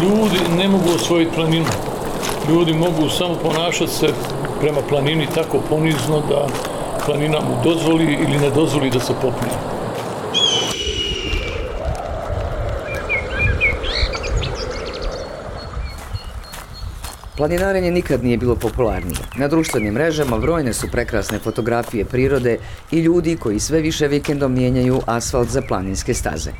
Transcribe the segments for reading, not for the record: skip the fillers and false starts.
Ljudi ne mogu osvojiti planinu. Ljudi mogu samo ponašati se prema planini tako ponizno da planina mu dozvoli ili ne dozvoli da se popne. Planinarenje nikad nije bilo popularnije. Na društvenim mrežama brojne su prekrasne fotografije prirode i ljudi koji sve više vikendom mijenjaju asfalt za planinske staze.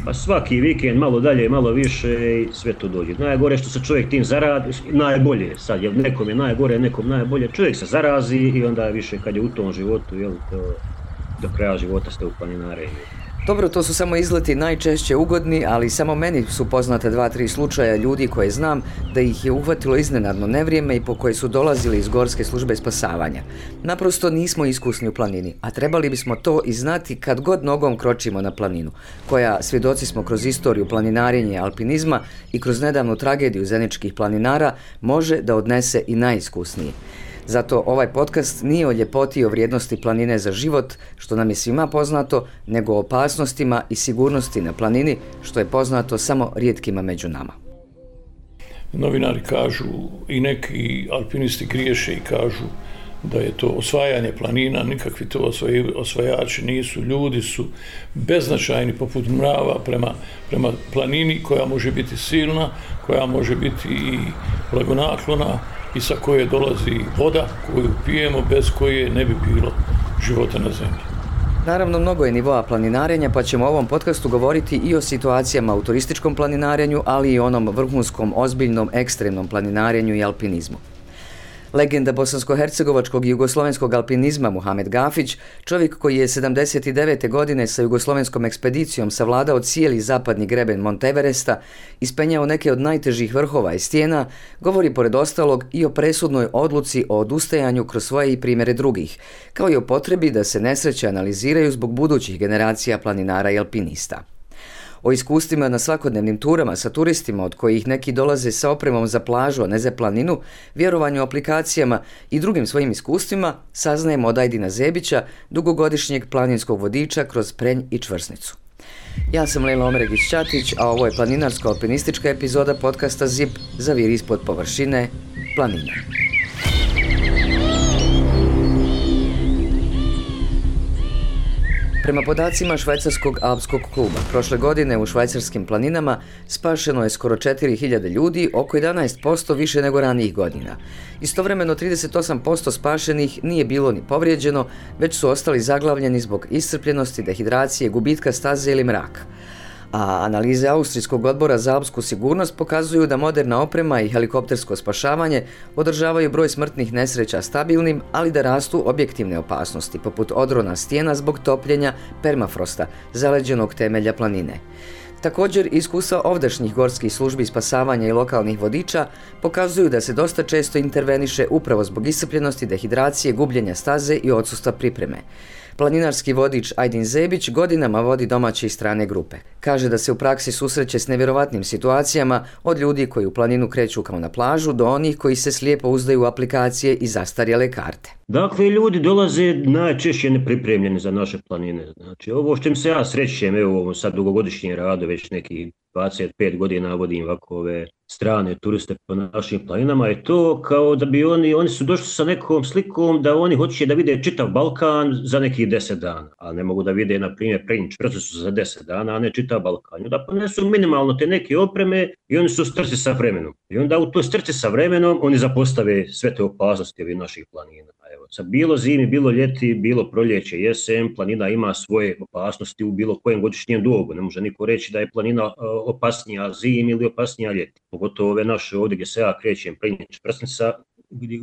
Pa svaki vikend malo dalje, malo više i sve to dođe. Najgore što se čovjek tim zaradi, najbolje sad, jer nekom je najgore, nekom najbolje. Čovjek se zarazi i onda više kad je u tom životu, jel, to do kraja života ste u planinarenju. Dobro, to su samo izleti najčešće ugodni, ali samo meni su poznate 2-3 slučaja ljudi koje znam da ih je uhvatilo iznenadno nevrijeme i po koje su dolazili iz Gorske službe spasavanja. Naprosto nismo iskusni u planini, a trebali bismo to i znati kad god nogom kročimo na planinu, koja, svjedoci smo kroz istoriju planinarenja i alpinizma i kroz nedavnu tragediju zeničkih planinara, može da odnese i najiskusniji. Zato ovaj podcast nije o ljepoti i o vrijednosti planine za život, što nam je svima poznato, nego o opasnostima i sigurnosti na planini, što je poznato samo rijetkima među nama. Novinari kažu i neki alpinisti griješe i kažu da je to osvajanje planina, nikakvi to osvajači nisu, ljudi su beznačajni poput mrava prema planini koja može biti silna, koja može biti i blagonaklona i sa koje dolazi voda koju pijemo, bez koje ne bi bilo života na zemlji. Naravno, mnogo je nivoa planinarenja, pa ćemo u ovom podcastu govoriti i o situacijama u turističkom planinarenju, ali i onom vrhunskom, ozbiljnom, ekstremnom planinarenju i alpinizmu. Legenda bosansko-hercegovačkog i jugoslovenskog alpinizma Muhamed Gafić, čovjek koji je 79. godine sa jugoslovenskom ekspedicijom savladao cijeli zapadni greben Monteveresta, ispenjao neke od najtežih vrhova i stijena, govori pored ostalog i o presudnoj odluci o odustajanju kroz svoje i primjere drugih, kao i o potrebi da se nesreće analiziraju zbog budućih generacija planinara i alpinista. O iskustvima na svakodnevnim turama sa turistima, od kojih neki dolaze sa opremom za plažu, a ne za planinu, vjerovanju aplikacijama i drugim svojim iskustvima, saznajemo od Ajdina Zebića, dugogodišnjeg planinskog vodiča kroz Prenj i Čvrsnicu. Ja sam Lejla Omeregić-Ćatić, a ovo je planinarsko-alpinistička epizoda podcasta ZIP Zaviri ispod površine, planina. Prema podacima švajcarskog alpskog kluba, prošle godine u švajcarskim planinama spašeno je skoro 4000 ljudi, oko 11% više nego ranijih godina. Istovremeno 38% spašenih nije bilo ni povrijeđeno, već su ostali zaglavljeni zbog iscrpljenosti, dehidracije, gubitka staze ili mraka. A analize Austrijskog odbora za alpsku sigurnost pokazuju da moderna oprema i helikoptersko spašavanje održavaju broj smrtnih nesreća stabilnim, ali da rastu objektivne opasnosti, poput odrona stijena zbog topljenja permafrosta, zaleđenog temelja planine. Također, iskustva ovdašnjih gorskih službi spasavanja i lokalnih vodiča pokazuju da se dosta često interveniše upravo zbog iscrpljenosti, dehidracije, gubljenja staze i odsustva pripreme. Planinarski vodič Ajdin Zebić godinama vodi domaće i strane grupe. Kaže da se u praksi susreće s nevjerovatnim situacijama, od ljudi koji u planinu kreću kao na plažu do onih koji se slijepo uzdaju u aplikacije i zastarjele karte. Dakle, ljudi dolaze najčešće nepripremljeni za naše planine. Znači, ovo što im se ja srećem, evo ovo sad dugogodišnje rado, već neki 25 godina vodim ovako ove strane turiste po našim planinama, je to kao da bi oni su došli sa nekom slikom da oni hoće da vide čitav Balkan za nekih 10 dana, a ne mogu da vide, na primjer, Prenj Čvrsnicu za 10 dana, a ne čitav Balkan. Da ponesu minimalno te neke opreme i oni su u strci sa vremenom. I onda u toj strci sa vremenom oni zapostave sve te opasnosti ovih naših planina. Evo, sad bilo zimi, bilo ljeti, bilo proljeće, jesen, planina ima svoje opasnosti u bilo kojem godišnjem dobu. Ne može niko reći da je planina opasnija zimi ili opasnija ljeti. Pogotovo ove naše ovdje gdje se ja krećem, Prenj Čvrsnica,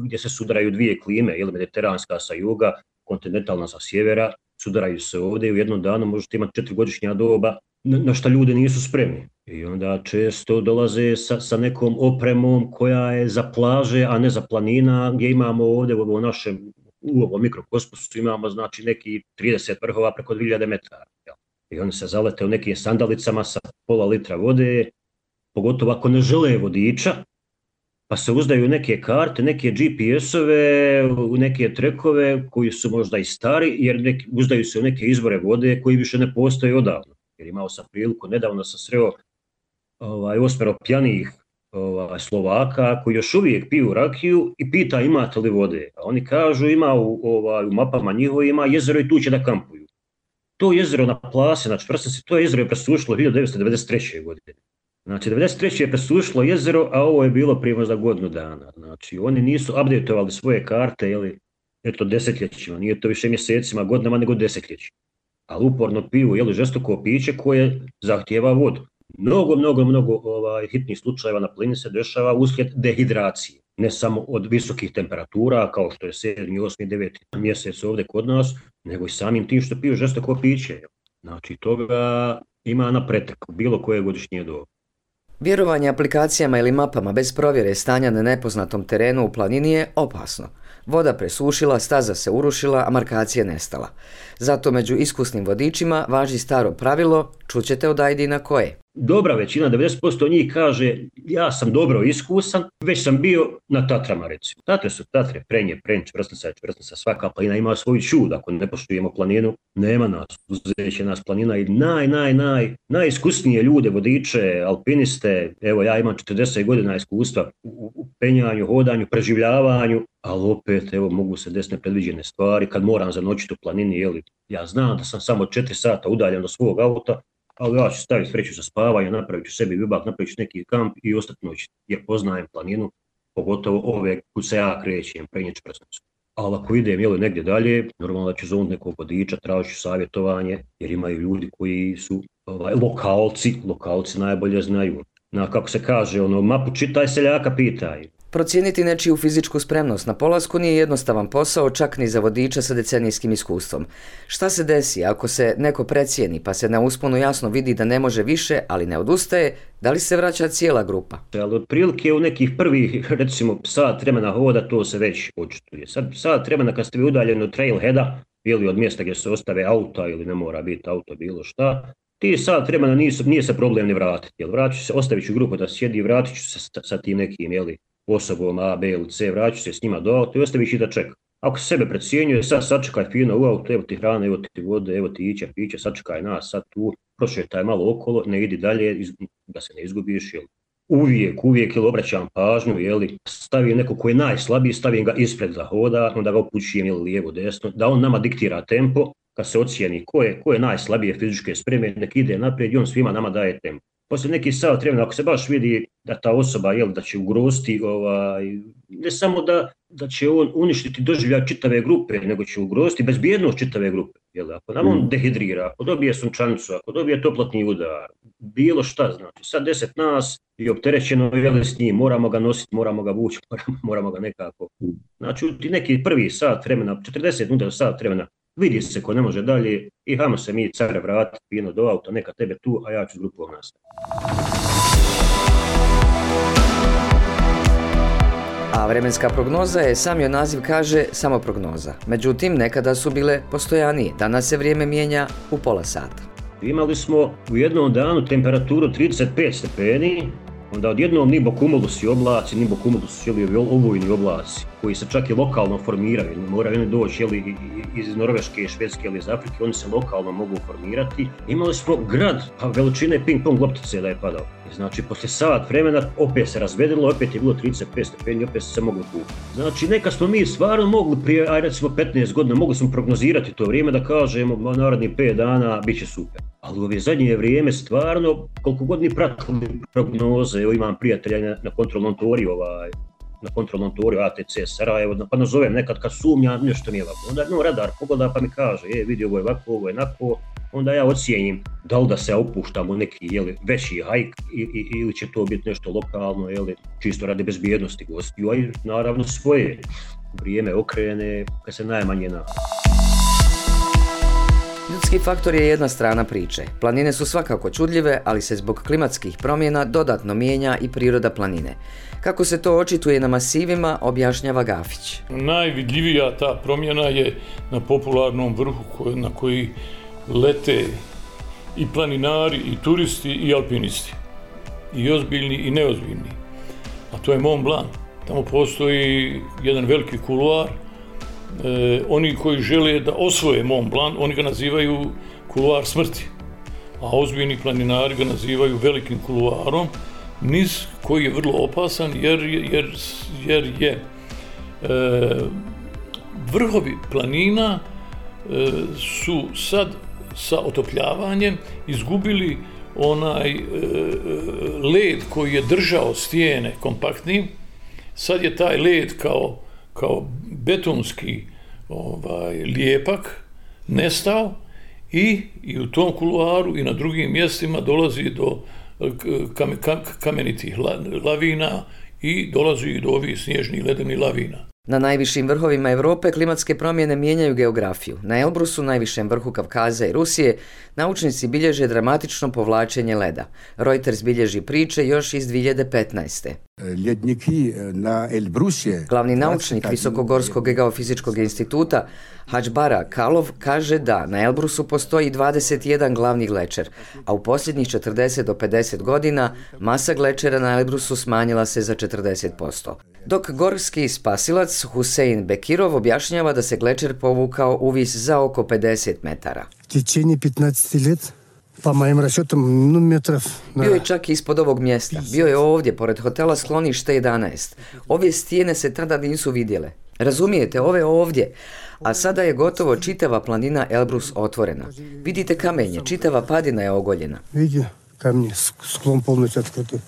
gdje se sudaraju dvije klime, ili mediteranska sa juga, kontinentalna sa sjevera, sudaraju se ovdje i u jednom danu možete imati 4 godišnja doba na što ljudi nisu spremni. I onda često dolaze sa nekom opremom koja je za plaže, a ne za planina, gdje imamo ovdje u ovom mikrokosmosu imamo znači neki 30 vrhova preko 2000 metara. I oni se zalete u nekim sandalicama sa pola litra vode, pogotovo ako ne žele vodiča, pa se uzdaju neke karte, neke GPS-ove, neke trekove koji su možda i stari, jer uzdaju se u neke izvore vode koji više ne postoje odavno. Jer imao sam priliku, nedavno sam sreo 8 pijanih Slovaka koji još uvijek piju rakiju i pita imate li vode. A oni kažu ima u mapama njihovi ima jezero i tu će da kampuju. To jezero na Plase, znači to jezero je presušilo 1993. godine. Znači 1993. je presušilo jezero, a ovo je bilo prije možda godinu dana. Znači oni nisu updateovali svoje karte, desetljećima, nije to više mjesecima, godinama, nego desetljećima. Ali uporno piju žestoko piće koje zahtijeva vodu. Mnogo hitnih slučajeva na planini se dešava uslijed dehidracije. Ne samo od visokih temperatura, kao što je 7., 8., 9. mjesec ovdje kod nas, nego i samim tim što piju žestoko piće. Znači toga ima na pretek bilo koje godišnje doba. Vjerovanje aplikacijama ili mapama bez provjere stanja na nepoznatom terenu u planini je opasno. Voda presušila, staza se urušila, a markacija nestala. Zato među iskusnim vodičima važi staro pravilo, čućete od Ajdina koje. Dobra većina, 90% njih kaže ja sam dobro iskusan, već sam bio na Tatrama recimo. Tatre su Tatre, Prenje, Čvrsnica, svaka planina ima svoj čud. Ako ne poštujemo planinu, nema nas, uzeće nas planina i najiskusnije ljude, vodiče, alpiniste. Evo ja imam 40 godina iskustva u penjanju, hodanju, preživljavanju, ali opet mogu se desiti nepredviđene stvari kad moram zanoćiti u planini. Ja znam da sam samo 4 sata udaljen od svog auta, ali ja ću staviti vreću za spavanje, napravit ću sebi bivak, napravit ću neki kamp i ostati noći, jer poznajem planinu, pogotovo ove kud se ja krećem, Prenje, Čvrsnicu. Ali ako idem negdje dalje, normalno da ću zovnuti nekog vodiča, tražit ću savjetovanje, jer imaju ljudi koji su lokalci najbolje znaju. Kako se kaže, mapu čitaj, seljaka pitaj. Procijeniti nečiju fizičku spremnost na polasku nije jednostavan posao, čak ni za vodiča sa decenijskim iskustvom. Šta se desi ako se neko precijeni pa se na usponu jasno vidi da ne može više, ali ne odustaje, da li se vraća cijela grupa? Ali otprilike u nekih prvih, recimo, sat vremena hoda, to se već očituje. Sat vremena kad ste vi udaljeni od trailheada, ili od mjesta gdje se ostave auta ili ne mora biti auto, bilo šta, ti sat vremena nije se problem ni vratiti. Ostavit ću grupu da sjedi i vratit ću se sa tim nekim, osobom A, B ili C, vraću se s njima do auta i ostaviš i da čeka. Ako se sebe precijenjuje, sad sačekaj fino u auto, evo ti hrana, evo ti vode, evo ti piće, sačekaj nas, sad tu, prošetaj malo okolo, ne idi dalje, da se ne izgubiš. Uvijek obraćam pažnju, stavim neko ko je najslabiji, stavim ga ispred da hoda, onda ga upućujem lijevo, desno, da on nama diktira tempo, kad se ocijeni ko je najslabije fizičke spreme, nek ide naprijed i on svima nama daje tempo. Poslije neki sat vremena, ako se baš vidi da ta osoba da će ugroziti, ne samo da će on uništiti doživljaj čitave grupe, nego će ugroziti bezbjednost čitave grupe. Ako nam on dehidrira, ako dobije sunčanicu, ako dobije toplotni udar, bilo šta, znači sad 10 nas i opterećeno s njim, moramo ga nositi, moramo ga vući, moramo ga nekako. Znači neki prvi sat vremena, 40 minuta do sat vremena, vidi se ko ne može dalje i hajmo se mi care vratiti fino do auta, neka tebe tu, a ja ću s grupom nastaviti. A vremenska prognoza je, sam joj naziv kaže, samo prognoza. Međutim, nekada su bile postojanije. Danas se vrijeme mijenja u pola sata. Imali smo u jednom danu temperaturu 35 stepeni, onda odjednom nimbocumulusi oblaci, olujni oblaci, koji se čak i lokalno formiraju, moraju oni doći iz Norveške, Švedske ili iz Afrike, oni se lokalno mogu formirati. Imali smo grad veličine ping-pong loptice da je padao. Znači, poslije sat vremena opet se razvedrilo, opet je bilo 35 stepeni, opet se moglo kupiti. Znači, neka smo mi stvarno mogli prije, recimo 15 godina, mogli smo prognozirati to vrijeme da kažemo narednih 5 dana bit će super. Ali u ove zadnje vrijeme stvarno, koliko god mi pratili prognoze, evo imam prijatelja na kontrolnom toriju ATC Sarajevo, pa nazovem nekad kad sumnjam nešto mi je ovako. Onda radar pogleda pa mi kaže, vidi ovo je ovako, ovo je onako, onda ja ocijenim da li da se opuštam u neki veći hajk ili će to biti nešto lokalno, čisto radi bezbjednosti gostiju, a i naravno svoje vrijeme okrene kad se najmanje na. Ljudski faktor je jedna strana priče. Planine su svakako čudljive, ali se zbog klimatskih promjena dodatno mijenja i priroda planine. Kako se to očituje na masivima, objašnjava Gafić. Najvidljivija ta promjena je na popularnom vrhu na koji lete i planinari, i turisti, i alpinisti. I ozbiljni, i neozbiljni. A to je Mont Blanc. Tamo postoji jedan veliki kuluar. Oni koji žele da osvoje Mont Blanc, oni ga nazivaju kuluar smrti. a ozbiljni planinari ga nazivaju velikim kuluarom, niz koji je vrlo opasan jer je vrhovi planina su sad sa otopljavanjem izgubili onaj led koji je držao stijene kompaktnim. Sad je taj led kao betonski lijepak nestao i u tom kuluaru i na drugim mjestima dolazi do kamenitih lavina i dolazi i do ovih snježnih ledenih lavina. Na najvišim vrhovima Europe klimatske promjene mijenjaju geografiju. Na Elbrusu, najvišem vrhu Kavkaza i Rusije, naučnici bilježe dramatično povlačenje leda. Reuters bilježi priče još iz 2015. Glavni naučnik Visokogorskog geofizičkog instituta Hadžbara Kalov kaže da na Elbrusu postoji 21 glavni glečer, a u posljednjih 40 do 50 godina masa glečera na Elbrusu smanjila se za 40%. Dok gorski spasilac Husein Bekirov objašnjava da se glečer povukao uvis za oko 50 metara. Bio je čak ispod ovog mjesta. Bio je ovdje, pored hotela Sklonište 11. Ove stijene se tada nisu vidjele. Razumijete, ove ovdje. A sada je gotovo čitava planina Elbrus otvorena. Vidite kamenje, čitava padina je ogoljena.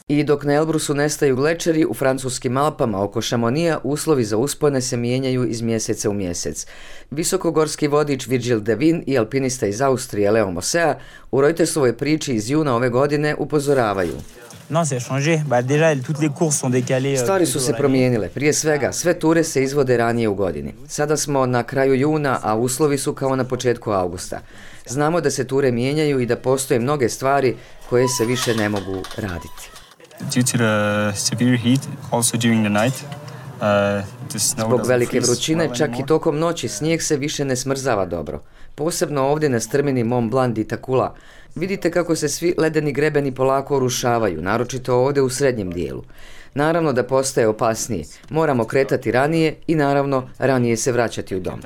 I dok na Elbrusu nestaju glečeri, u francuskim Alpama oko Šamonija uslovi za uspone se mijenjaju iz mjeseca u mjesec. Visokogorski vodič Virgil Devin i alpinista iz Austrije Leo Mosea u Reutersovoj priči iz juna ove godine upozoravaju. Stvari su se promijenile. Prije svega, sve ture se izvode ranije u godini. Sada smo na kraju juna, a uslovi su kao na početku augusta. Znamo da se ture mijenjaju i da postoje mnoge stvari koje se više ne mogu raditi. Zbog velike vrućine, čak i tokom noći, snijeg se više ne smrzava dobro. Posebno ovdje na strmini Mont Blanc di Takula. Vidite kako se svi ledeni grebeni polako urušavaju, naročito ovdje u srednjem dijelu. Naravno da postaje opasnije. Moramo kretati ranije i naravno ranije se vraćati u dom.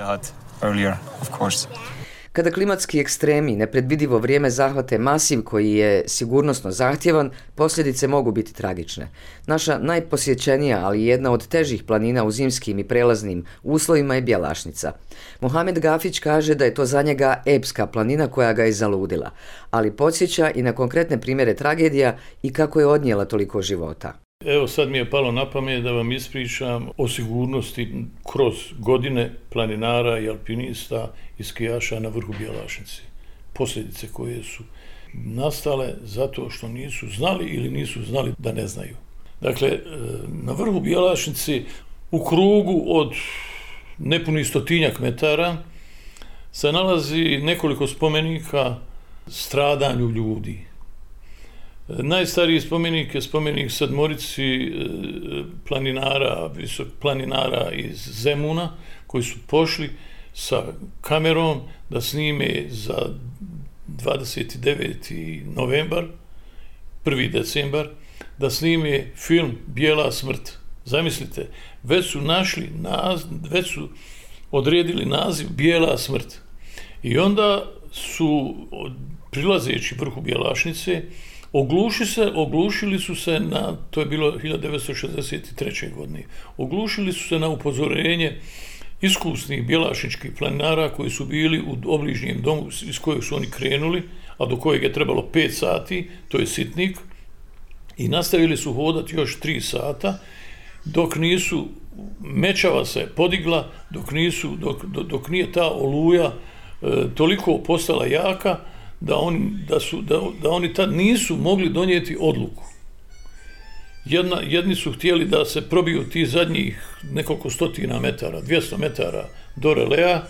Kada klimatski ekstremi, nepredvidivo vrijeme zahvate masiv koji je sigurnosno zahtjevan, posljedice mogu biti tragične. Naša najposjećenija, ali jedna od težih planina u zimskim i prelaznim uslovima je Bjelašnica. Mohamed Gafić kaže da je to za njega epska planina koja ga je zaludila, ali podsjeća i na konkretne primjere tragedija i kako je odnijela toliko života. Evo sad mi je palo na pamet da vam ispričam o sigurnosti kroz godine planinara i alpinista i skijaša na vrhu Bjelašnice. Posljedice koje su nastale zato što nisu znali ili nisu znali da ne znaju. Dakle, na vrhu Bjelašnice u krugu od nepunih 100 metara se nalazi nekoliko spomenika stradanju ljudi. Najstariji spomenik je spomenik sedmorici planinara iz Zemuna koji su pošli sa kamerom da snime za 29. novembar, 1. decembar, da snime film Bijela smrt. Zamislite, već su odredili naziv Bijela smrt. I onda su, prilazeći vrhu Bjelašnice, oglušili su se na, to je bilo 1963. godine, oglušili su se na upozorenje iskusnih bjelašničkih planinara koji su bili u obližnjem domu iz kojeg su oni krenuli, a do kojeg je trebalo 5 sati, to je Sitnik, i nastavili su hodati još 3 sata, dok nisu, mečava se podigla, dok nije ta oluja toliko postala jaka, da oni tad nisu mogli donijeti odluku. Jedni su htjeli da se probiju ti zadnjih nekoliko stotina metara, 200 metara do relea,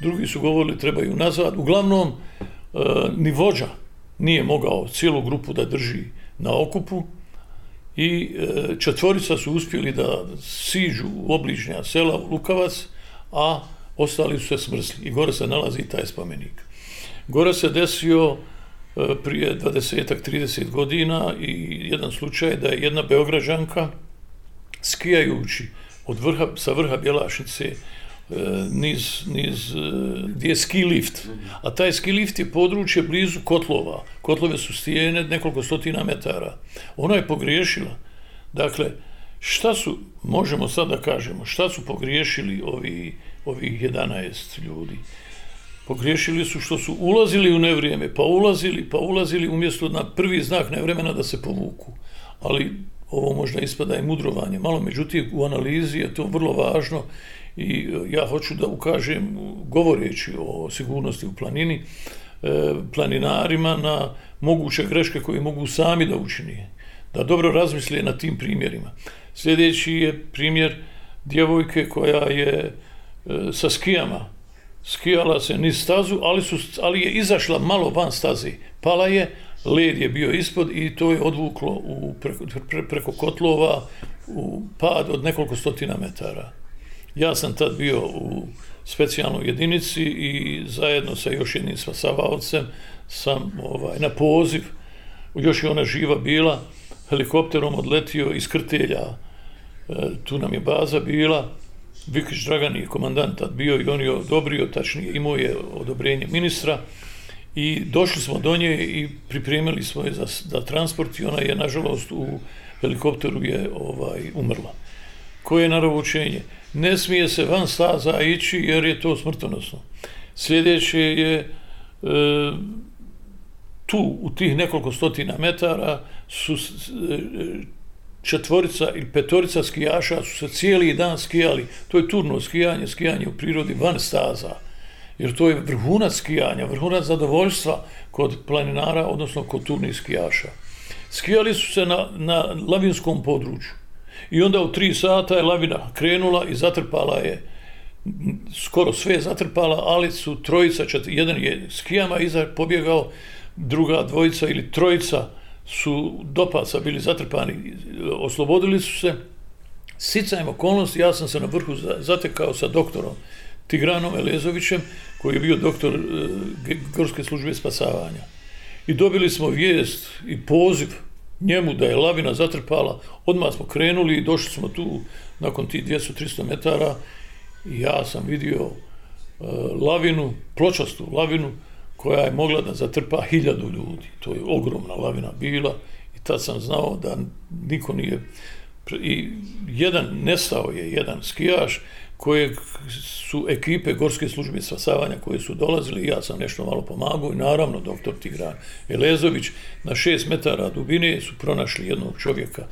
drugi su govorili trebaju nazad. Uglavnom, ni vođa nije mogao cijelu grupu da drži na okupu i 4 su uspjeli da siđu u obližnja sela u Lukavac, a ostali su se smrzli. I gore se nalazi taj spomenik. Gore se desio prije 20-30 godina i jedan slučaj da je jedna Beograđanka skijajući sa vrha Bjelašnice gdje je ski lift. A taj ski lift je područje blizu kotlova. Kotlove su stijene nekoliko stotina metara. Ona je pogriješila. Dakle, možemo sad da kažemo, šta su pogriješili ovih 11 ljudi? Pogriješili su što su ulazili u nevrijeme, pa ulazili umjesto na prvi znak nevremena da se povuku. Ali ovo možda ispada i mudrovanje. Malo, međutim, u analizi je to vrlo važno i ja hoću da ukažem, govoreći o sigurnosti u planini, planinarima na moguće greške koje mogu sami da učine. Da dobro razmisle na tim primjerima. Sljedeći je primjer djevojke koja je sa skijama. Skijala se niz stazu, ali je izašla malo van staze. Pala je, led je bio ispod i to je odvuklo preko kotlova u pad od nekoliko stotina metara. Ja sam tad bio u specijalnoj jedinici i zajedno sa još jednim spasavaocem sam na poziv, još je ona živa bila, helikopterom odletio iz Krtelja, tu nam je baza bila, Vikić Dragan je komandant tad bio i on je odobrio, tačnije imao je odobrenje ministra i došli smo do nje i pripremili smo je za transport i ona je, nažalost, u helikopteru je umrla. Koje je naravoučenje? Ne smije se van staza ići jer je to smrtonosno. Sljedeće je tu, u tih nekoliko stotina metara, su četvorica ili petorica skijaša su se cijeli dan skijali. To je turno skijanje u prirodi van staza. Jer to je vrhunac skijanja, vrhunac zadovoljstva kod planinara, odnosno kod turnih skijaša. Skijali su se na lavinskom području. I onda u 3 sata je lavina krenula i zatrpala je, skoro sve zatrpala, ali su jedan je skijama pobjegao, druga dvojica ili trojica su do pasa bili zatrpani, oslobodili su se. Sticajem okolnosti, ja sam se na vrhu zatekao sa doktorom Tigranom Elezovićem, koji je bio doktor Gorske službe spasavanja. I dobili smo vijest i poziv njemu da je lavina zatrpala. Odmah smo krenuli i došli smo tu nakon tih 200-300 metara i ja sam vidio lavinu, pločastu lavinu, koja je mogla da zatrpa 1000 ljudi. To je ogromna lavina bila i tad sam znao da niko nije... I nestao je jedan skijaš kojeg su ekipe Gorske službe spasavanja koje su dolazili i ja sam nešto malo pomagao i naravno doktor Tigran Elezović na 6 metara dubine su pronašli jednog čovjeka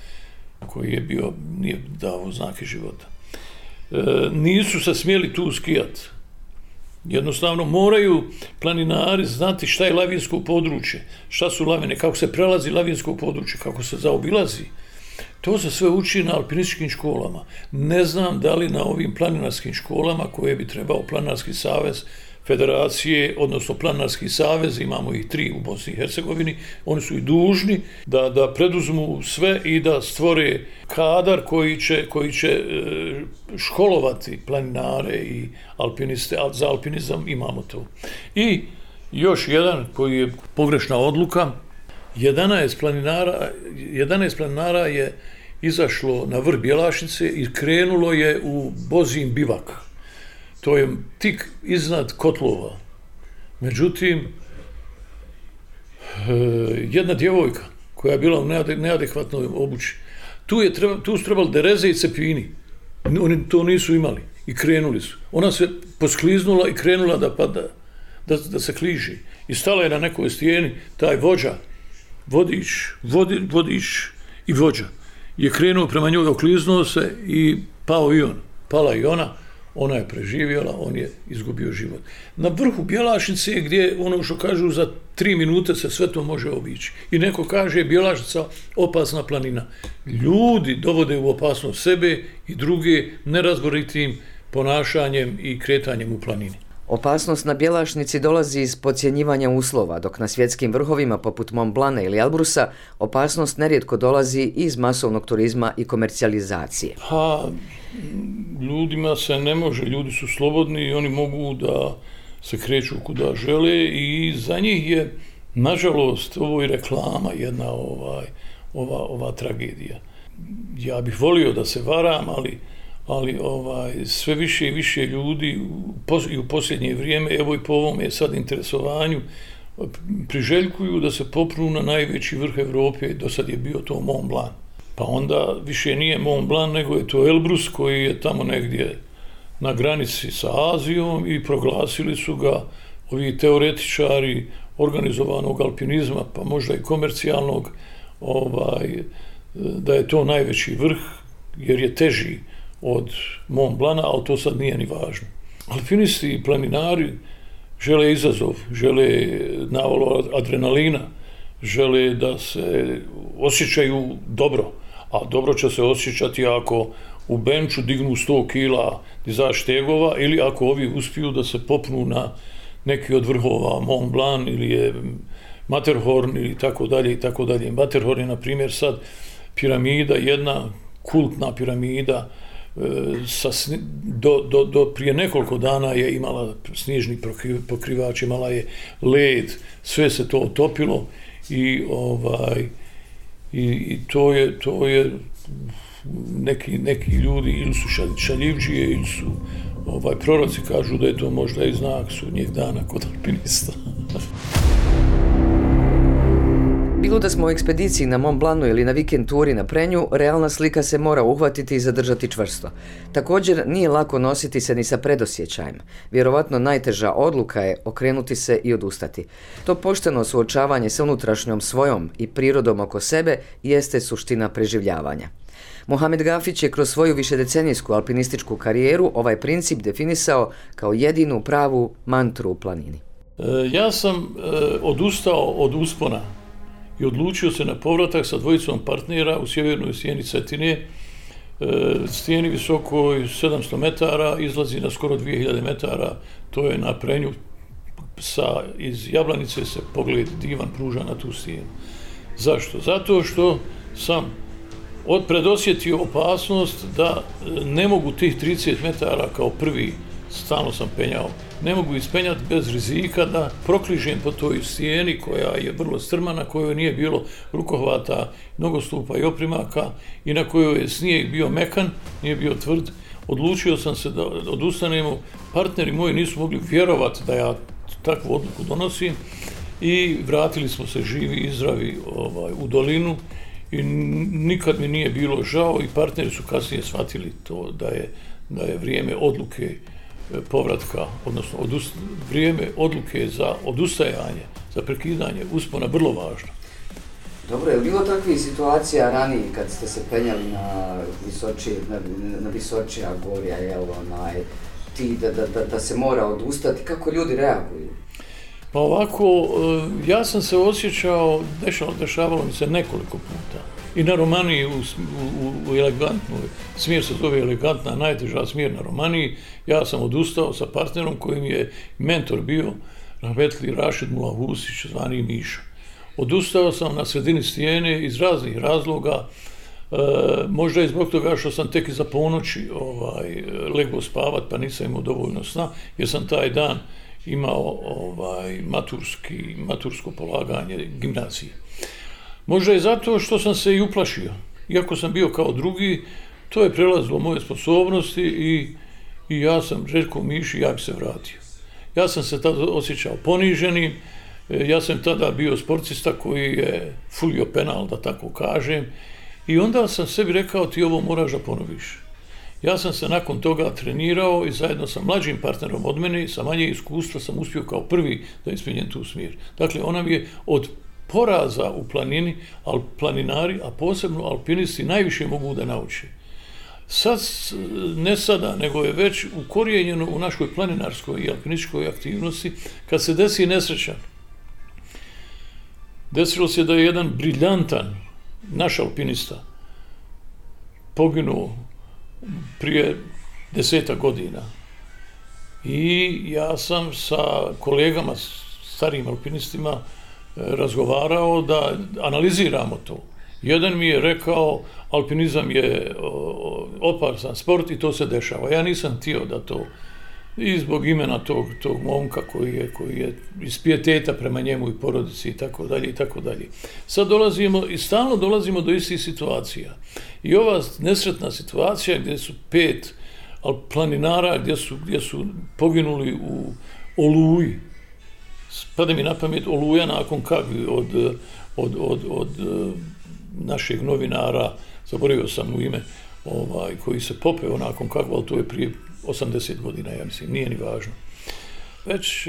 koji je bio, nije dao znake života. Nisu se smjeli tu skijati. Jednostavno moraju planinari znati šta je lavinsko područje, šta su lavine, kako se prelazi lavinsko područje, kako se zaobilazi. To se sve uči na alpinističkim školama. Ne znam da li na ovim planinarskim školama koje bi trebao Planinarski savez federacije, odnosno Planinarski savez, imamo ih 3 u Bosni i Hercegovini, oni su i dužni da preduzmu sve i da stvore kadar koji će školovati planinare i alpiniste, a za alpinizam imamo to. I još jedan koji je pogrešna odluka, 11 planinara je izašlo na vrh Bjelašnice i krenulo je u Bozin bivak. To je tik iznad kotlova. Međutim, jedna djevojka koja je bila u neadekvatnoj obući, tu su trebali dereze i cepini. Oni to nisu imali i krenuli su. Ona se poskliznula i krenula da pada, da se kliži. I stala je na nekoj stijeni, taj vođa, vodič i vođa je krenuo prema njoj, okliznuo se i pao i on. Pala i ona je preživjela, on je izgubio život. Na vrhu Bjelašnice gdje, ono što kažu, za 3 minute se sve to može obići. I neko kaže Bjelašnica opasna planina. Ljudi dovode u opasnost sebe i druge nerazboritim ponašanjem i kretanjem u planini. Opasnost na Bjelašnici dolazi iz podcjenjivanja uslova, dok na svjetskim vrhovima poput Mont Blana ili Elbrusa opasnost nerijetko dolazi iz masovnog turizma i komercijalizacije. Pa, ljudima se ne može, ljudi su slobodni i oni mogu da se kreću kuda žele i za njih je, nažalost, ovo je reklama jedna ova tragedija. Ja bih volio da se varam, ali sve više i više ljudi i u posljednje vrijeme, evo i po ovom je sad interesovanju, priželjkuju da se popnu na najveći vrh Evrope, do sad je bio to Mont Blanc. Pa onda više nije Mont Blanc, nego je to Elbrus koji je tamo negdje na granici sa Azijom i proglasili su ga ovi teoretičari organizovanog alpinizma, pa možda i komercijalnog, da je to najveći vrh, jer je teži od Mont Blanca, ali to sad nije ni važno. Alpinisti i planinari žele izazov, žele navalu adrenalina, žele da se osjećaju dobro, a dobro će se osjećati ako u benču dignu 100 kila dizaž tegova ili ako ovi uspiju da se popnu na neki od vrhova, Mont Blanc ili je Matterhorn ili tako dalje i tako dalje. Matterhorn je, na primjer, sad piramida, jedna kultna piramida, do prije nekoliko dana je imala snježni pokrivač, imala je led, sve se to otopilo i to je neki ljudi ili su šaljivđije ili su proroci, kažu da je to možda i znak sudnjeg dana kod alpinista. Bilo da smo u ekspediciji na Mont Blancu ili na vikend turi na Prenju, realna slika se mora uhvatiti i zadržati čvrsto. Također nije lako nositi se ni sa predosjećajem. Vjerovatno najteža odluka je okrenuti se i odustati. To pošteno suočavanje sa unutrašnjom svojom i prirodom oko sebe jeste suština preživljavanja. Mohamed Gafić je kroz svoju višedecenijsku alpinističku karijeru ovaj princip definisao kao jedinu pravu mantru u planini. Ja sam odustao od uspona i odlučio se na povratak sa dvojicom partnera u sjevernoj stijeni Cetine. Stijeni visokoj 700 metara, izlazi na skoro 2000 metara, to je na Prenju. Iz Jablanice se pogled divan pruža na tu stijenu. Zašto? Zato što sam predosjetio opasnost da ne mogu tih 30 metara kao prvi, stalno sam penjao, ne mogu ispenjati bez rizika da prokližem po toj stijeni koja je vrlo strmana, kojoj nije bilo rukohvata, nogostupa i oprimaka i na kojoj je snijeg bio mekan, nije bio tvrd. Odlučio sam se da odustanemo, partneri moji nisu mogli vjerovati da ja takvu odluku donosim i vratili smo se živi i zdravi u dolinu i nikad mi nije bilo žao i partneri su kasnije shvatili to da je vrijeme odluke povratka, odnosno vrijeme odluke za odustajanje, za prekidanje uspona vrlo važno. Dobro, je li bilo takvih situacija ranije kad ste se penjali na Visočija gorja, da se mora odustati, kako ljudi reaguju? Pa ovako, ja sam se osjećao, dešavalo mi se nekoliko puta. I na Romaniji u elegantnoj, smjer se zove elegantna, najteža smjer na Romaniji, ja sam odustao sa partnerom kojim je mentor bio rahmetli Rašid Mulahusić, zvani Miša. Odustao sam na sredini stijene iz raznih razloga, možda i zbog toga što sam tek iza ponoći legao spavat pa nisam imao dovoljno sna, jer sam taj dan imao matursko polaganje gimnazije. Možda i zato što sam se i uplašio. Iako sam bio kao drugi, to je prelazilo moje sposobnosti i ja sam rekao Miši, ja bi se vratio. Ja sam se tada osjećao poniženim, ja sam tada bio sportista koji je fulio penal, da tako kažem, i onda sam sebi rekao ti ovo moraš da ponoviš. Ja sam se nakon toga trenirao i zajedno sa mlađim partnerom od mene, sa manje iskustva sam uspio kao prvi da ispunjem tu smjer. Dakle, ona mi je od poraza u planini, planinari, a posebno alpinisti, najviše mogu da nauče. Sad, ne sada, nego je već ukorijenjeno u našoj planinarskoj i alpinističkoj aktivnosti, kad se desi nesreća. Desilo se da je jedan briljantan naš alpinista poginuo prije 10 godina. I ja sam sa kolegama, starijim alpinistima, razgovarao da analiziramo to. Jedan mi je rekao, alpinizam je opasan sport i to se dešava. Ja nisam htio i zbog imena tog momka koji je iz pijeteta prema njemu i porodici i tako dalje i tako dalje. Sad stalno dolazimo do istih situacija. I ova nesretna situacija gdje su 5 planinara gdje su poginuli u Oluji. Pada mi na pamet Oluja nakon Kagvi od našeg novinara, zaboravio sam mu ime, koji se popeo nakon Kagva, ali to je prije 80 godina, ja mislim, nije ni važno. Već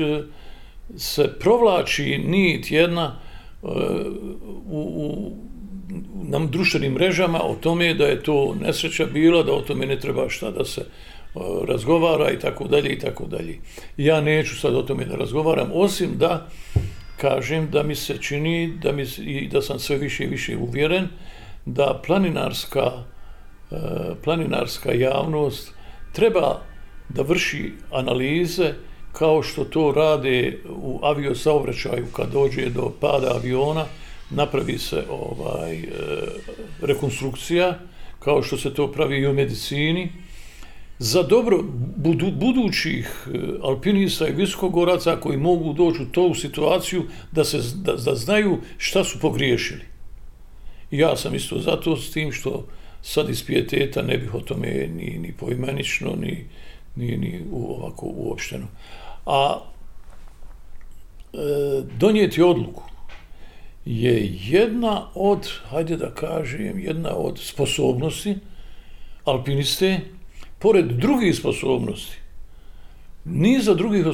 se provlači nit jedna na društvenim mrežama o tome da je to nesreća bila, da o tome ne treba šta da se razgovara i tako dalje i tako dalje. Ja neću sad o tome da razgovaram, osim da kažem da mi se čini i da sam sve više i više uvjeren da planinarska javnost treba da vrši analize kao što to rade u aviosaobraćaju kad dođe do pada aviona, napravi se rekonstrukcija, kao što se to pravi i u medicini, za dobro budućih alpinista i visokogoraca koji mogu doći u tu situaciju da znaju šta su pogriješili. I ja sam isto zato s tim što sad iz pijeteta ne bih o tome ni poimenično, ni ovako uopšteno. A donijeti odluku je jedna od sposobnosti alpiniste, pored drugih sposobnosti, niza drugih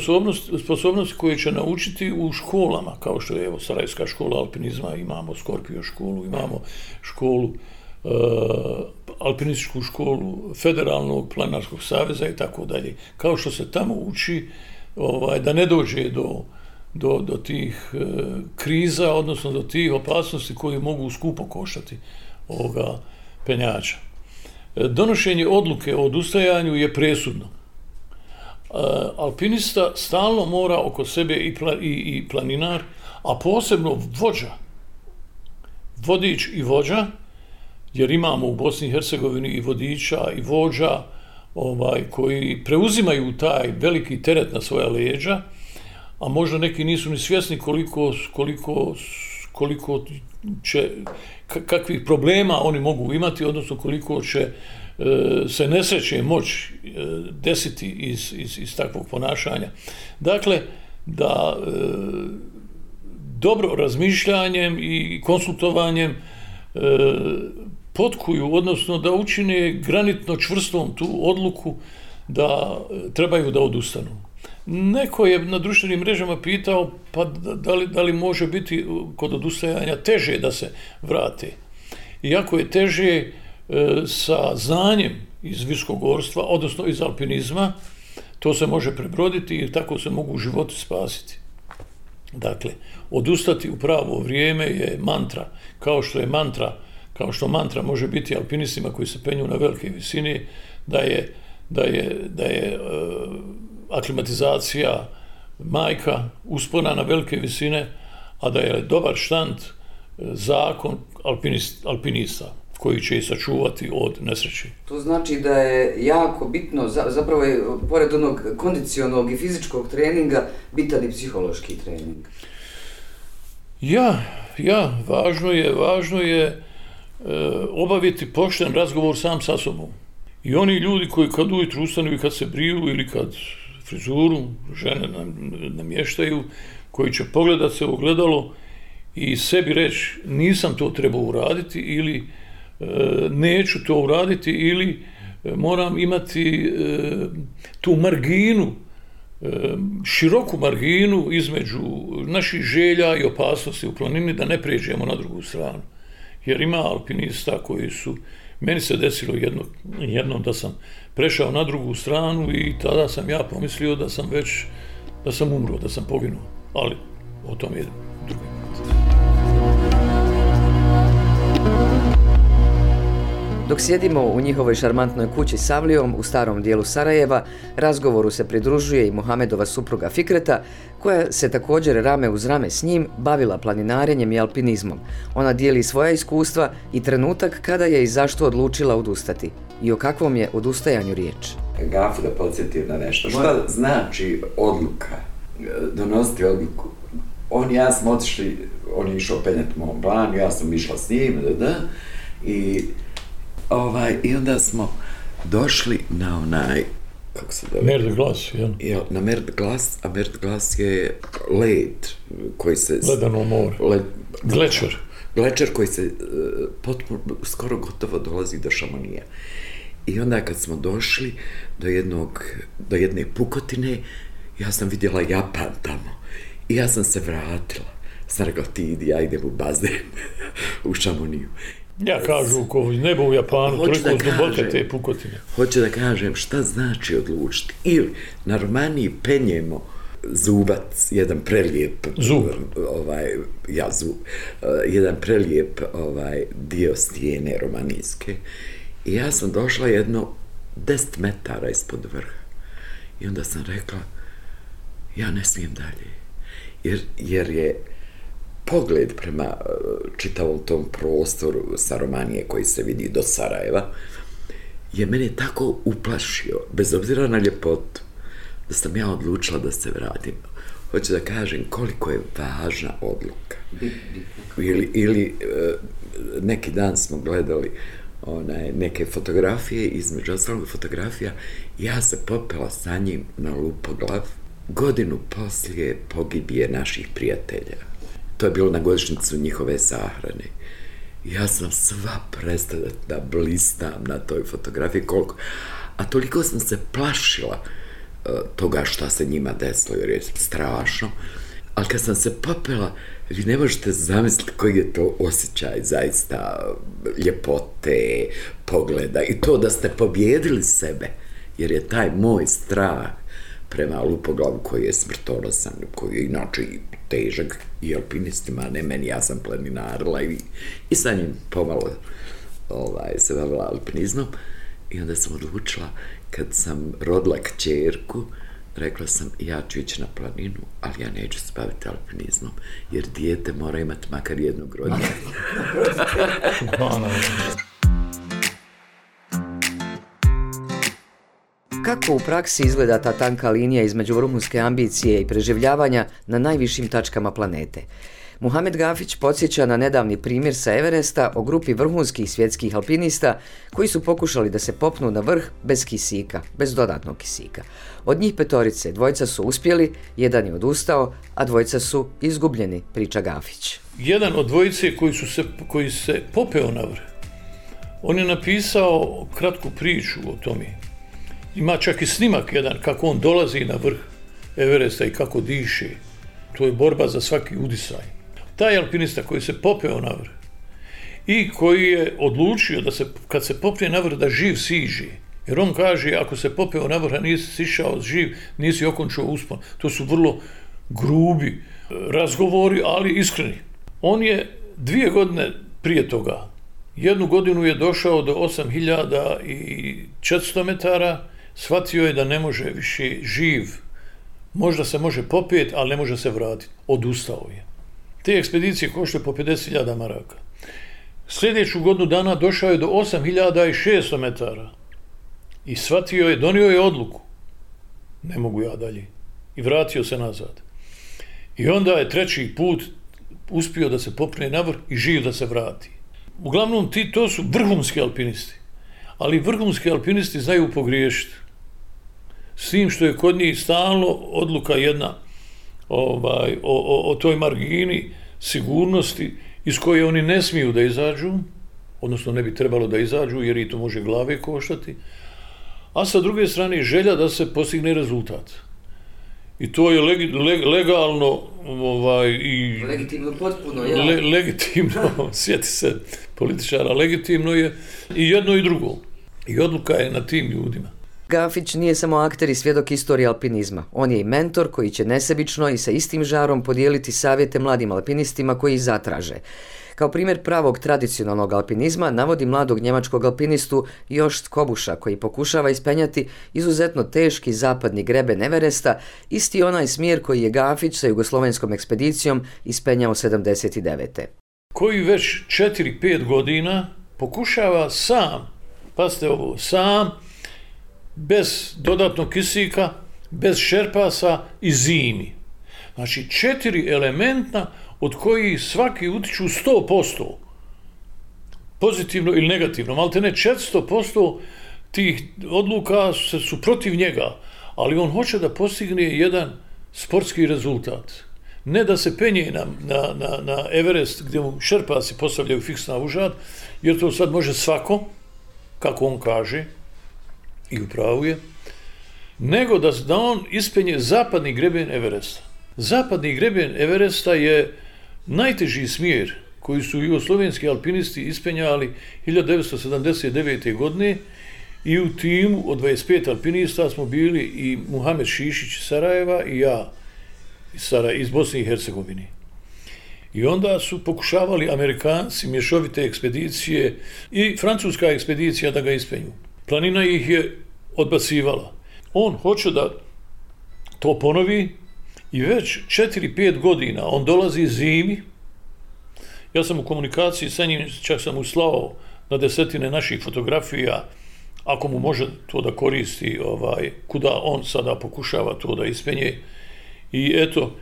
sposobnosti koje će naučiti u školama, kao što je Sarajevska škola alpinizma, imamo Skorpio školu, imamo školu, alpinističku školu Federalnog planinarskog saveza i tako dalje. Kao što se tamo uči da ne dođe do tih kriza, odnosno do tih opasnosti koje mogu skupo koštati ovoga penjača. Donošenje odluke o odustajanju je presudno. Alpinista stalno mora oko sebe i planinar, a posebno vodič i vođa, jer imamo u Bosni i Hercegovini i vodiča i vođa koji preuzimaju taj veliki teret na svoja leđa, a možda neki nisu ni svjesni koliko će, kakvih problema oni mogu imati, odnosno koliko će se nesreće moći desiti iz takvog ponašanja. Dakle, da dobro razmišljanjem i konsultovanjem potkuju, odnosno da učine granitno čvrstom tu odluku da trebaju da odustanu. Neko je na društvenim mrežama pitao pa da li može biti kod odustajanja teže da se vrate. Iako je teže sa znanjem iz visokogorstva, odnosno iz alpinizma, to se može prebroditi i tako se mogu životi spasiti. Dakle, odustati u pravo vrijeme je mantra, kao što mantra može biti alpinistima koji se penju na velike visine, da je aklimatizacija majka, uspona na velike visine, a da je dobar štand zakon alpinista koji će ih sačuvati od nesreće. To znači da je jako bitno, zapravo je pored onog kondicionalnog i fizičkog treninga, bitan i psihološki trening. Važno je obaviti pošten razgovor sam sa sobom. I oni ljudi koji kad ujutru ustanu i kad se briju ili kad frizuru žene namještaju, koji će pogledati se u ogledalo i sebi reći nisam to trebao uraditi ili neću to uraditi ili moram imati tu marginu, široku marginu između naših želja i opasnosti u planini da ne pređemo na drugu stranu. Jer ima alpinista koji su, meni se desilo jednom da sam prešao na drugu stranu i tada sam ja pomislio da sam umro, da sam poginuo. Ali o tom je drugi put. Dok sjedimo u njihovoj šarmantnoj kući s avlijom u starom dijelu Sarajeva, razgovoru se pridružuje i Mohamedova supruga Fikreta, koja se također rame uz rame s njim bavila planinarenjem i alpinizmom. Ona dijeli svoja iskustva i trenutak kada je i zašto odlučila odustati. I o kakvom je odustajanju riječ? Gafu da podsjetim na nešto. Šta znači odluka? Donositi odluku. On i ja smo otišli, on je išao penjati Mont Blanc, ja sam išla s njim, i onda smo došli na onaj, kako se zove? Mer de Glace, jel? Na Mer de Glace, a Mer de Glace je led koji se... Ledeno more. Glečer. Glečer koji se skoro gotovo dolazi do Šamonija. I onda kad smo došli do jedne pukotine, ja sam vidjela Japan tamo. I ja sam se vratila. Sam rekla, ti idi, ja idem u bazen u Šamoniju. Ja kažu, ko nebo u Japanu, toliko duboke te pukotine. Hoću da kažem šta znači odlučiti. Ili na Romaniji penjemo Zubac, jedan prelijep jedan prelijep dio stijene romanijske. I ja sam došla jedno 10 metara ispod vrha. I onda sam rekla, ja ne smijem dalje. Jer je pogled prema čitavom tom prostoru sa Romanije koji se vidi do Sarajeva je mene tako uplašio, bez obzira na ljepotu, da sam ja odlučila da se vratim. Hoću da kažem koliko je važna odluka. Ili neki dan smo gledali neke fotografije, između ostalog fotografija, ja se popela sa njim na Lupoglav, godinu poslije pogibije naših prijatelja. To je bilo na godišnjicu njihove sahrane. Ja sam sva prestala da blistam na toj fotografiji, a toliko sam se plašila toga šta se njima desilo, jer je strašno. Ali kad sam se popela, vi ne možete zamisliti koji je to osjećaj zaista ljepote, pogleda i to da ste pobjedili sebe, jer je taj moj strah prema Lupoglavu koji je smrtonosan, koji je inače težak i alpinistima, ne meni, ja sam planinarila i sa njim pomalo se bavila alpinizmom. I onda sam odlučila, kad sam rodila kćerku, rekla sam, ja ću ići na planinu, ali ja neću se baviti alpinizmom, jer dijete mora imati makar jednog roditelja. Kako u praksi izgleda ta tanka linija između vrhunske ambicije i preživljavanja na najvišim tačkama planete? Muhamed Gafić podsjeća na nedavni primjer sa Everesta o grupi vrhunskih svjetskih alpinista koji su pokušali da se popnu na vrh bez kisika, bez dodatnog kisika. Od njih 5, 2 su uspjeli, 1 je odustao, a 2 su izgubljeni, priča Gafić. Jedan od 2 koji se popeo na vrh, on je napisao kratku priču o tome. Ima čak i snimak jedan kako on dolazi na vrh Everesta i kako diše. To je borba za svaki udisaj. Taj alpinista koji se popeo na vrh i koji je odlučio da kad se popne na vrh da živ siđe. Jer on kaže, ako se popeo na vrh, a nisi sišao živ, nisi okončao uspon. To su vrlo grubi razgovori, ali iskreni. On je 2 godine prije toga, 1 godinu je došao do 8400 metara, shvatio je da ne može više živ. Možda se može popeti, ali ne može se vratiti. Odustao je. Te ekspedicije koštaju po 50.000 maraka. Sljedeću godinu dana došao je do 8600 metara. I shvatio je, donio je odluku. Ne mogu ja dalje. I vratio se nazad. I onda je 3. put uspio da se popne na vrh i živ da se vrati. Uglavnom, to su vrhunski alpinisti. Ali vrhunski alpinisti znaju pogriješiti. S tim što je kod njih stalno odluka jedna o toj margini sigurnosti iz koje oni ne smiju da izađu, odnosno ne bi trebalo da izađu jer i to može glave koštati, a sa druge strane želja da se postigne rezultat. I to je legalno i legitimno potpuno, legitimno, sjeti se političara, legitimno je i jedno i drugo. I odluka je na tim ljudima. Gafić nije samo akter i svjedok istorije alpinizma. On je i mentor koji će nesebično i sa istim žarom podijeliti savjete mladim alpinistima koji ih zatraže. Kao primjer pravog tradicionalnog alpinizma navodi mladog njemačkog alpinistu Jost Kobuša koji pokušava ispenjati izuzetno teški zapadni greben Everesta, isti onaj smjer koji je Gafić sa jugoslovenskom ekspedicijom ispenjao 79. Koji već 4-5 godina pokušava sam, pazite ovo, sam bez dodatnog kisika, bez šerpasa i zimi. Znači 4 elementna od kojih svaki utiču 100%, pozitivno ili negativno, maltene 400% tih odluka su protiv njega, ali on hoće da postigne jedan sportski rezultat. Ne da se penje na Everest gdje mu šerpasi postavljaju fiksna užad, jer to sad može svako, kako on kaže, i upravo je, nego da on ispenje zapadni greben Everesta. Zapadni greben Everesta je najteži smjer koji su jugoslovenski alpinisti ispenjali 1979. godine i u timu od 25 alpinista smo bili i Muhamed Šišić iz Sarajeva i ja iz Bosne i Hercegovine. I onda su pokušavali Amerikanci mješovite ekspedicije i francuska ekspedicija da ga ispenju. Planina ih je odbacivala. On hoće da to ponovi i već 4-5 godina on dolazi zimi. Ja sam u komunikaciji sa njim, čak sam mu slao na desetine naših fotografija, ako mu može to da koristi, kuda on sada pokušava to da ispenje. I eto,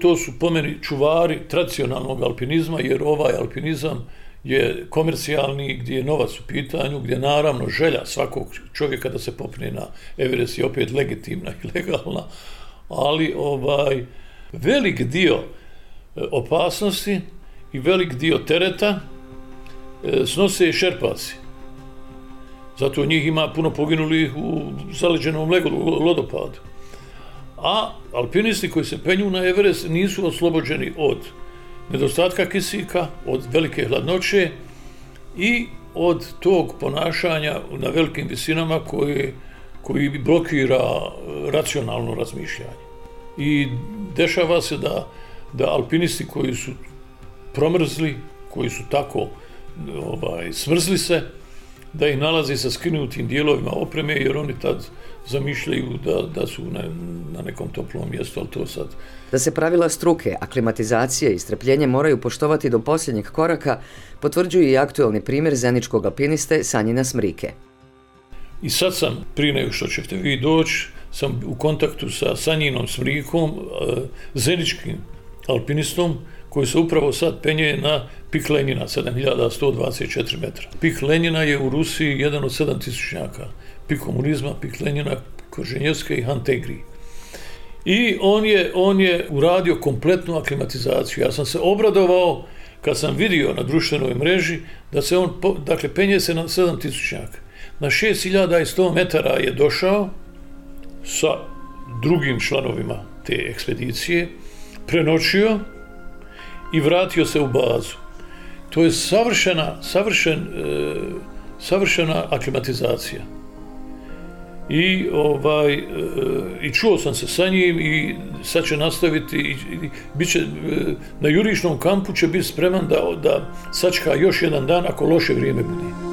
to su po meni čuvari tradicionalnog alpinizma, jer ovaj alpinizam je komercijalni, gdje je novac u pitanju, gdje naravno želja svakog čovjeka da se popne na Everest je opet legitimna i legalna, ali velik dio opasnosti i velik dio tereta snose šerpaci. Zato njih ima puno poginulih u zaleđenom lodopadu. A alpinisti koji se penju na Everest nisu oslobođeni od nedostatka kisika, od velike hladnoće i od tog ponašanja na velikim visinama koji blokira racionalno razmišljanje. I dešava se da alpinisti koji su promrzli, koji su tako smrzli se, da ih nalazi sa skinutim dijelovima opreme, jer oni tad zamišljaju da su na nekom toplom mjestu, ali to sad... Da se pravila struke, aklimatizacije i strpljenje moraju poštovati do posljednjeg koraka, potvrđuje i aktualni primjer zeničkog alpiniste Sanjina Smrike. I sad sam, prije nego što ćete vi doći, sam u kontaktu sa Sanjinom Smrikom, zeničkim alpinistom, koji se upravo sad penje na pik Lenjina, 7124 metra. Pik Lenjina je u Rusiji jedan od 7000-njaka. Pik komunizma, pik Lenjina, Koženjevska i Hantegri. I on je uradio kompletnu aklimatizaciju. Ja sam se obradovao kad sam vidio na društvenoj mreži da se on, penje se na 7000-njaka. Na 6100 metara je došao sa drugim članovima te ekspedicije, prenoćio i vratio se u bazu. To je savršena aklimatizacija. I čuo sam se sa njim i sad će nastaviti i bit će, na jurišnom kampu će biti spreman da sačka još jedan dan ako loše vrijeme bude.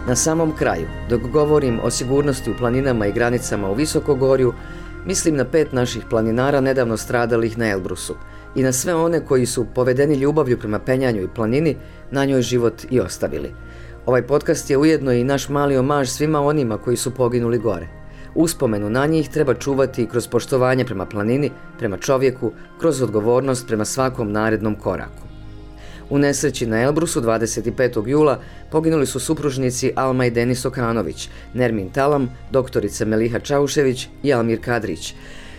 Na samom kraju, dok govorim o sigurnosti u planinama i granicama u Visokogorju, mislim na 5 naših planinara nedavno stradalih na Elbrusu i na sve one koji su povedeni ljubavlju prema penjanju i planini na njoj život i ostavili. Ovaj podcast je ujedno i naš mali omaž svima onima koji su poginuli gore. Uspomenu na njih treba čuvati kroz poštovanje prema planini, prema čovjeku, kroz odgovornost prema svakom narednom koraku. U nesreći na Elbrusu 25. jula poginuli su supružnici Alma i Denis Okanović, Nermin Talam, doktorica Meliha Čaušević i Almir Kadrić.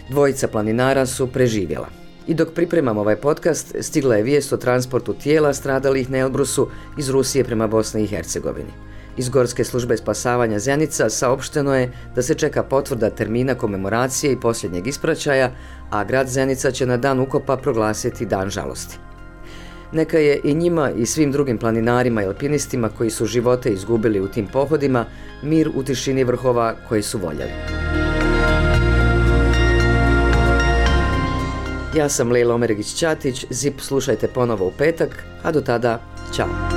Dvojica planinara su preživjela. I dok pripremam ovaj podcast, stigla je vijest o transportu tijela stradalih na Elbrusu iz Rusije prema Bosni i Hercegovini. Iz Gorske službe spasavanja Zenica saopšteno je da se čeka potvrda termina komemoracije i posljednjeg ispraćaja, a grad Zenica će na dan ukopa proglasiti dan žalosti. Neka je i njima i svim drugim planinarima i alpinistima koji su živote izgubili u tim pohodima mir u tišini vrhova koji su voljeli. Ja sam Lejla Omeregić-Ćatić, ZIP slušajte ponovo u petak, a do tada, ćao!